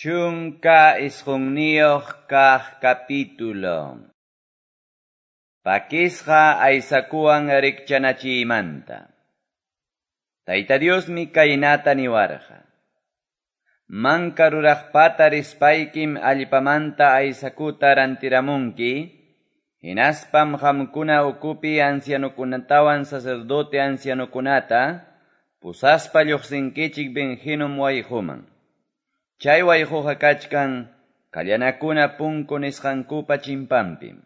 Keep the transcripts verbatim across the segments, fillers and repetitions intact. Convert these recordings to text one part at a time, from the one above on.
Chunka isqunniyuq kaq capítulo. Pakisqa aysakuwan rikchanachiymanta. Tayta Diosmi kaynata niwarqa. Manka ruraqpata rispaykim allpamanta aysakuta rantiramunki, hinaspam qamkuna ukupi ancianokunatawan sacerdote ancianokunata pusaspa lluqsinkichik Ben-Hinom wayquman. Chay wayquqa kachkan kallanakuna punku nisqankupa chimpanpim.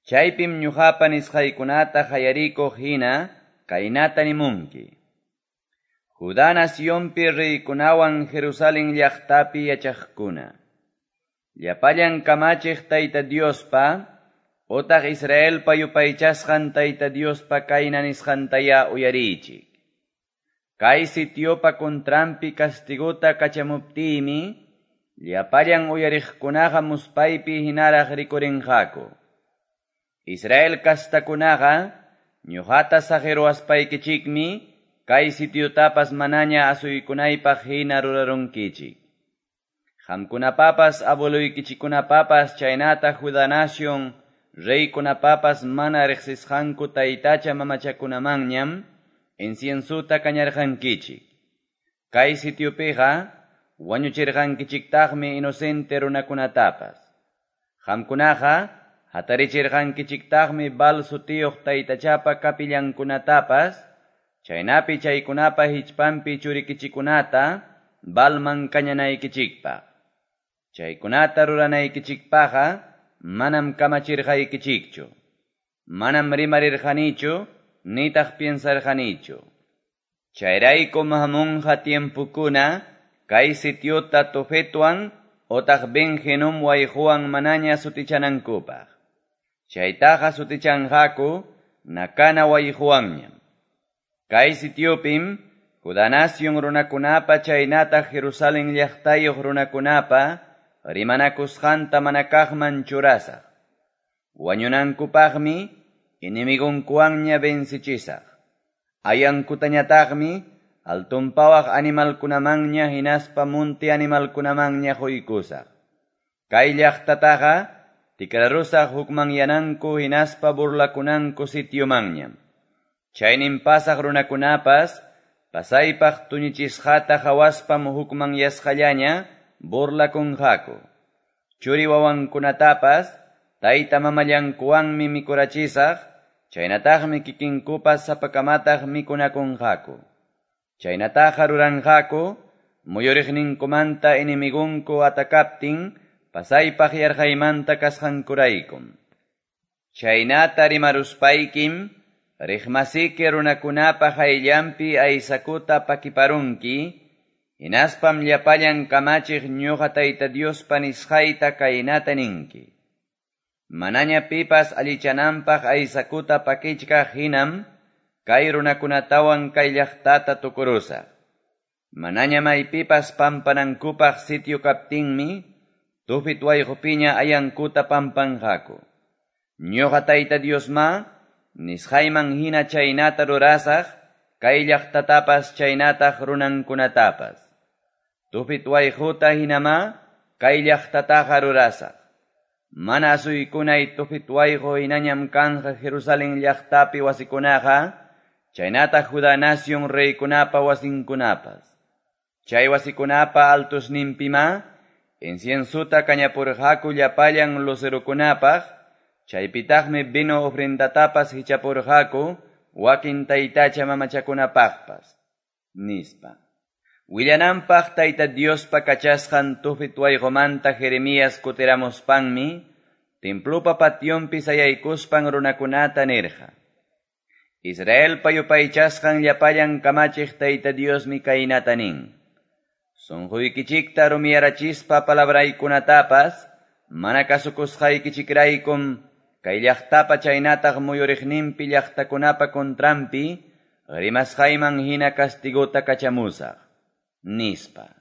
Chaypim ñuqapa nisqaykunata qayarikuq hina kaynata nimunki. Judá nacionpi reykunawan Jerusalén llaqtapi yachaqkuna. Llapallan kamachiq Tayta Diospa, utaq Israelpa yupaychasqan Tayta Diospa kayna nisqantaya uyariychik. Kay sitiopa contranpi castigota kachamuptiymi, llapallan uyariqkunaqa muspaypi hinaraq rikurinqaku. Israel kastakunaqa, ñuqata saqiruwaspaykichikmi, kay sitiotapas manaña asuykunaypaq hina rurarunkichik. Qamkunapapas abueloykichikkunapapas chaynata Judá nación reykunapapas mana riqsisqanku taytacha mamachakunamanñam inciensuta kañarqankichik. Kay sitiopiqa wañuchirqankichiktaqmi inocente runakunatapas. Qamkunaqa hatarichirqankichiktaqmi Baal sutiyuq taytachapa kapillankunatapas, chaynapi chaykunapa hichpanpi churikichikunata Baalman kañanaykichikpaq. Chaykunata ruranaykichikpaqqa manam kamachirqaykichikchu. Manam rimarirqanichu, nitaq piensarqanichu. Chayraykum hamunqa tiempukuna kay sitiota Tofetwan otaq Ben-Hinom wayquwan manaña sutichanankupaq. Chaytaqa sutichanqaku Nakana wayquwanñam. Kay sitiopim Judá nación runakunapa chaynataq Jerusalén llaqtayuq runakunapa rimanakusqanta manakaqman churasaq. Wañunankupaqmi enemigonkuwanña vencichisaq. Ayankutañataqmi altunpawaq animalkunamanña hinaspa munti animalkunamanña quykusaq. Kay llaqtataqa tikrarusaq hukmanyananku hinaspa burlakunanku sitiomanñam. Chaynin pasaq runakunapas pasaypaq tuñichisqata hawaspam hukmanyasqallaña burlakunqaku. Churi wawankunatapas tayta mamallankuwanmi mikurachisaq, chaynataqmi kikinkupas sapakamataq mikunakunqaku. Chaynataqa ruranqaku muyuriqninkumanta enemigunku atakaptin pasaypaq yarqaymanta kasqankuraykum. Chaynata rimaruspaykim riqmasiki runakunapa hayllanpi aysakuta pakiparunki, hinaspam llapallan kamachiq ñuqa Tayta Diospa nisqayta kaynata ninki. Manaña pipas allichananpaq aysakuta pakichkaq hinam kay runakunatawan kay llaqtata tukurusaq. Manaña maypipas pampanankupaq sitio kaptinmi, Tofet wayqupiña ayankuta pampanqaku. Ñuqa Tayta Diosma, nisqayman hina chaynata rurasaq, kay llaqtatapas chaynataq runankunatapas. Tofet wayquta hinama, kay llaqtataqa rurasaq. Mana asuykunay Tofet wayqu hinañam kanqa Jerusalén llaqtapi wasikunaqa, chaynataq Judá nación reykunapa wasinkunapas. Chay wasikunapa altusninpima, inciensuta kañapurqaku llapallan lucerokunapaq, chaypitaqmi vino ofrendatapas hichapurqaku wakin taytacha mamachakunapaqpas, nispa. Willananpaq Tayta Diospa kachasqan Tofet wayqumanta Jeremías kutiramuspanmi, templopa pationpi sayaykuspan runakunata nirqa. Israelpa yupaychasqan llapallan kamachiq Tayta Diosmi kaynata nin. Sunquykichikta rumiyarachispa palabraykunatapas, mana kasukusqaykichikraykum, kay llaqtapa chaynataq muyuriqninpi llaqtakunapa contranpi, rimasqayman hina castigota kachamusaq, nispa.